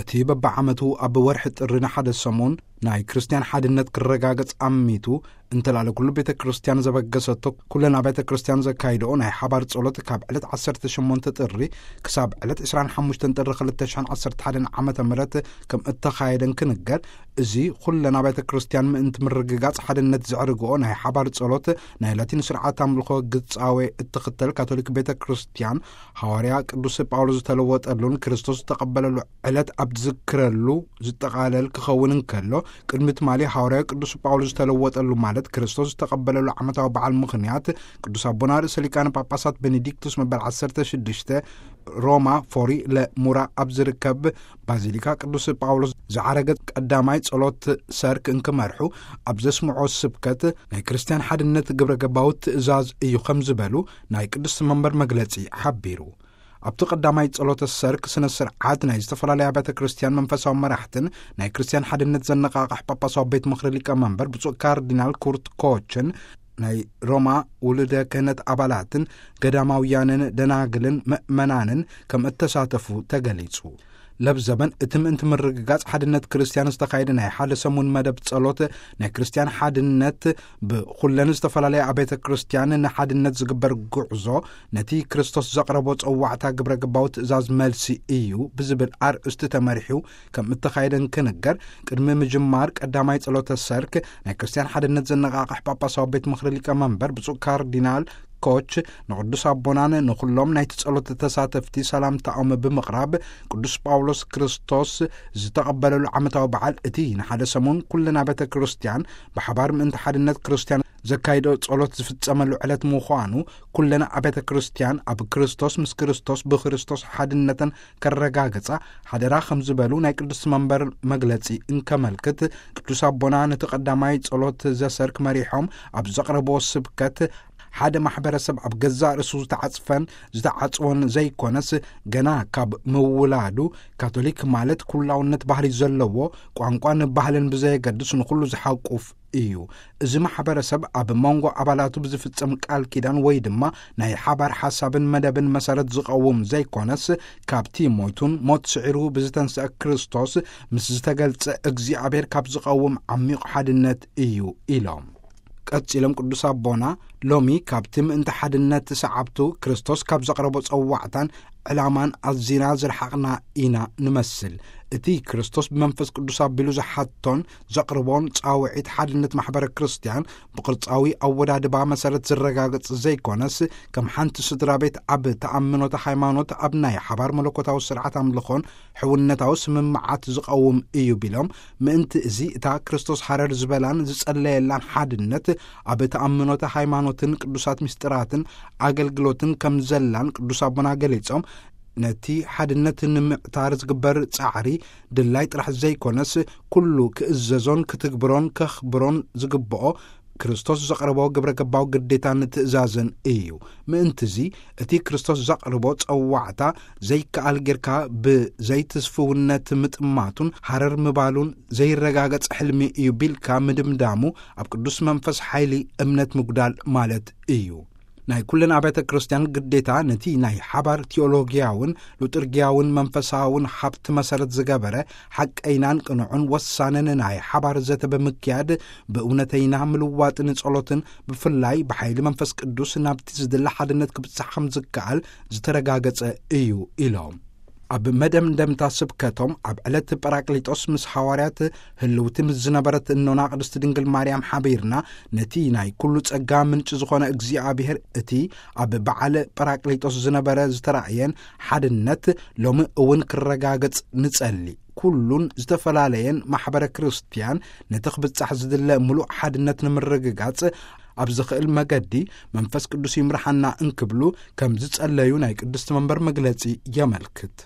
እቲ በብዓመቱ ኣብ ወርሒ ጥሪ ንሓደ ሰሙን ናይ ክርስትያን ሓድነት ክረጋገጽ ኣሚቱ፣ እንተላለ ኩሉ ቤተ ክርስትያን ዘበገሰቶ፣ ኩለን ኣብያተ ክርስትያን ዘካይድኦ ናይ ሓባር ጸሎት ካብ ዕለት ዓሰርተ ሸሞንተ ጥሪ ክሳብ ዕለት ዕስራን ሓሙሽተን ጥሪ ክልተ ሽሕን ዓሰርተ ሓደን ዓመተ ምህረት ከም እተኻየደን ክንገር፣ እዚ ኩለን ኣብያተ ክርስትያን ምእንቲ ምርግጋጽ ሓድነት ዘዕርግኦ ናይ ሓባር ጸሎት ናይ ላቲን ስርዓት ኣምልኾ ግጻዌ እትኽተል ካቶሊክ ቤተ ክርስትያን፣ ሃዋርያ ቅዱስ ጳውሎስ ዝተለወጠሉን ክርስቶስ ዝተቐበለሉ ዕለት ኣብ ትዝክረሉ ዝጠቓለል ክኸውን እንከሎ፣ ቅድሚ ትማሊ ሃዋርያ ቅዱስ ጳውሎስ ዝተለወጠሉ፣ ማለት ክርስቶስ ዝተቐበለሉ ዓመታዊ በዓል ምኽንያት፣ ቅዱስ ኣቦና ርእሰ ሊቃነ ጳጳሳት ቤኔዲክቱስ መበል ዓሰርተ ሽዱሽተ ሮማ ፎሪ ለሙራ ኣብ ዝርከብ ባዚሊካ ቅዱስ ጳውሎስ ዝዓረገ ቀዳማይ ጸሎት ሰርክ እንክመርሑ ኣብ ዘስምዖ ስብከት፣ ናይ ክርስትያን ሓድነት ግብረ ገባዊ ትእዛዝ እዩ ከም ዝበሉ ናይ ቅዱስ መንበር መግለጺ ሓቢሩ። ኣብቲ ቀዳማይ ጸሎተ ሰርክ ስነ ስርዓት ናይ ዝተፈላለዩ ኣብያተ ክርስትያን መንፈሳዊ መራሕትን ናይ ክርስትያን ሓድነት ዘነቓቕሕ ጳጳሳዊ ቤት ምኽሪ ሊቀ መንበር ብፁዕ ካርዲናል ኩርት ኮችን ናይ ሮማ ውሉደ ክህነት ኣባላትን ገዳማውያንን ደናግልን ምእመናንን ከም እተሳተፉ ተገሊጹ። ለብዘበን እቲ ምእንቲ ምርግጋጽ ሓድነት ክርስትያን ዝተኻየደ ናይ ሓደ ሰሙን መደብ ጸሎት ናይ ክርስትያን ሓድነት ብኹለን ዝተፈላለያ ኣብያተ ክርስትያን ንሓድነት ዝግበር ጉዕዞ ነቲ ክርስቶስ ዘቕረቦ ጸዋዕታ ግብረ ገባዊ ትእዛዝ መልሲ እዩ ብዝብል ኣርእስቲ ተመሪሑ ከም እተኻየደን ክንገር፣ ቅድሚ ምጅማር ቀዳማይ ጸሎተ ሰርክ ናይ ክርስትያን ሓድነት ዘነቓቕሕ ጳጳሳዊ ቤት ምኽሪ ሊቀ መንበር ብፁዕ ካርዲናል ኮች ንቅዱስ ኣቦናን ንኹሎም ናይቲ ጸሎት ተሳተፍቲ ሰላምታኦም ብምቕራብ፣ ቅዱስ ጳውሎስ ክርስቶስ ዝተቐበለሉ ዓመታዊ በዓል እቲ ንሓደ ሰሙን ኩለን ኣብያተ ክርስትያን ብሓባር ምእንቲ ሓድነት ክርስትያን ዘካይዶ ጸሎት ዝፍጸመሉ ዕለት ምዃኑ፣ ኩለን ኣብያተ ክርስትያን ኣብ ክርስቶስ ምስ ክርስቶስ ብክርስቶስ ሓድነተን ከረጋግጻ ሓደራ ከም ዝበሉ ናይ ቅዱስ መንበር መግለጺ እንከመልክት፣ ቅዱስ ኣቦና ነቲ ቀዳማይ ጸሎት ዘሰርክ መሪሖም ኣብ ዘቕረብዎ ስብከት፣ ሓደ ማሕበረሰብ ኣብ ገዛእ ርእሱ ዝተዓጽፈን ዝተዓጽወን ዘይኮነስ፣ ገና ካብ ምውላዱ፣ ካቶሊክ ማለት ኩላውነት ባህሪ ዘለዎ፣ ቋንቋን ባህልን ብዘየገድስ ንኹሉ ዝሓቁፍ እዩ። እዚ ማሕበረሰብ ኣብ መንጎ ኣባላቱ ብዝፍጸም ቃል ኪዳን ወይ ድማ ናይ ሓባር ሓሳብን መደብን መሰረት ዝቐውም ዘይኮነስ፣ ካብቲ ሞይቱን ሞት ስዒሩ ብዝተንስአ ክርስቶስ ምስ ዝተገልጸ እግዚኣብሔር ካብ ዝቐውም ዓሚቕ ሓድነት እዩ ኢሎም። ቀጺሎም ቅዱስ ኣቦና፣ ሎሚ ካብቲ ምእንቲ ሓድነት ሰዓብቱ ክርስቶስ ካብ ዘቕረቦ ጸዋዕታን ዕላማን ኣዚና ዝረሓቕና ኢና ንመስል። እቲ ክርስቶስ ብመንፈስ ቅዱስ ኣቢሉ ዝሓቶን ዘቕርቦን ጻውዒት ሓድነት ማሕበረ ክርስትያን ብቕርጻዊ ኣወዳድባ መሰረት ዝረጋገጽ ዘይኮነስ፣ ከም ሓንቲ ስድራ ቤት ኣብ ተኣምኖተ ሃይማኖት፣ ኣብ ናይ ሓባር መለኮታዊ ስርዓት ኣምልኾን ሕውነታዊ ስምምዓት ዝቐውም እዩ ቢሎም፣ ምእንቲ እዚ እታ ክርስቶስ ሃረር ዝበላን ዝጸለየላን ሓድነት ኣብ ተኣምኖተ ሃይማኖትን ቅዱሳት ምስጢራትን ኣገልግሎትን ከም ዘላን ቅዱስ ኣቦና ገሊጾም፣ ነቲ ሓድነት ንምዕታር ዝግበር ጻዕሪ ድላይ ጥራሕ ዘይኮነስ፣ ኩሉ ክእዘዞን ክትግብሮን ከኽብሮን ዝግብኦ ክርስቶስ ዘቕረቦ ግብረ ገባዊ ግዴታን ትእዛዝን እዩ። ምእንትዚ፣ እቲ ክርስቶስ ዘቕርቦ ጸዋዕታ ዘይከኣል ጌርካ ብዘይትስፍውነት ምጥማቱን ሃረር ምባሉን ዘይረጋገጽ ሕልሚ እዩ ቢልካ ምድምዳሙ፣ ኣብ ቅዱስ መንፈስ ሓይሊ እምነት ምጉዳል ማለት እዩ። ናይ ኩለን ኣብያተ ክርስትያን ግዴታ ነቲ ናይ ሓባር ቲዮሎጊያውን ሉጥርጊያውን መንፈሳውን ሃብቲ መሰረት ዝገበረ ሓቀይናን ቅኑዕን ወሳንን ናይ ሓባር ዘተ ብምክያድ፣ ብእውነተይና ምልዋጥን ጸሎትን ብፍላይ ብሓይሊ መንፈስ ቅዱስ ናብቲ ዝድለ ሓድነት ክብጻሕ ከም ዝከኣል ዝተረጋገጸ እዩ ኢሎም። ኣብ መደምደምታ ስብከቶም፣ ኣብ ዕለት ጳራቅሊጦስ ምስ ሃዋርያት ህልውቲ ምስ ዝነበረት እኖና ቅድስቲ ድንግል ማርያም ሓቢርና፣ ነቲ ናይ ኩሉ ጸጋ ምንጪ ዝኾነ እግዚኣብሔር፣ እቲ ኣብ በዓል ጳራቅሊጦስ ዝነበረ ዝተራእየን ሓድነት ሎሚ እውን ክረጋገጽ ንጸሊ። ኩሉን ዝተፈላለየን ማሕበረ ክርስትያን ነቲ ክብጻሕ ዝድለ ምሉእ ሓድነት ንምርግጋጽ ኣብ ዝኽእል መገዲ መንፈስ ቅዱስ ይምርሓና እንክብሉ ከም ዝጸለዩ ናይ ቅድስቲ መንበር መግለጺ የመልክት።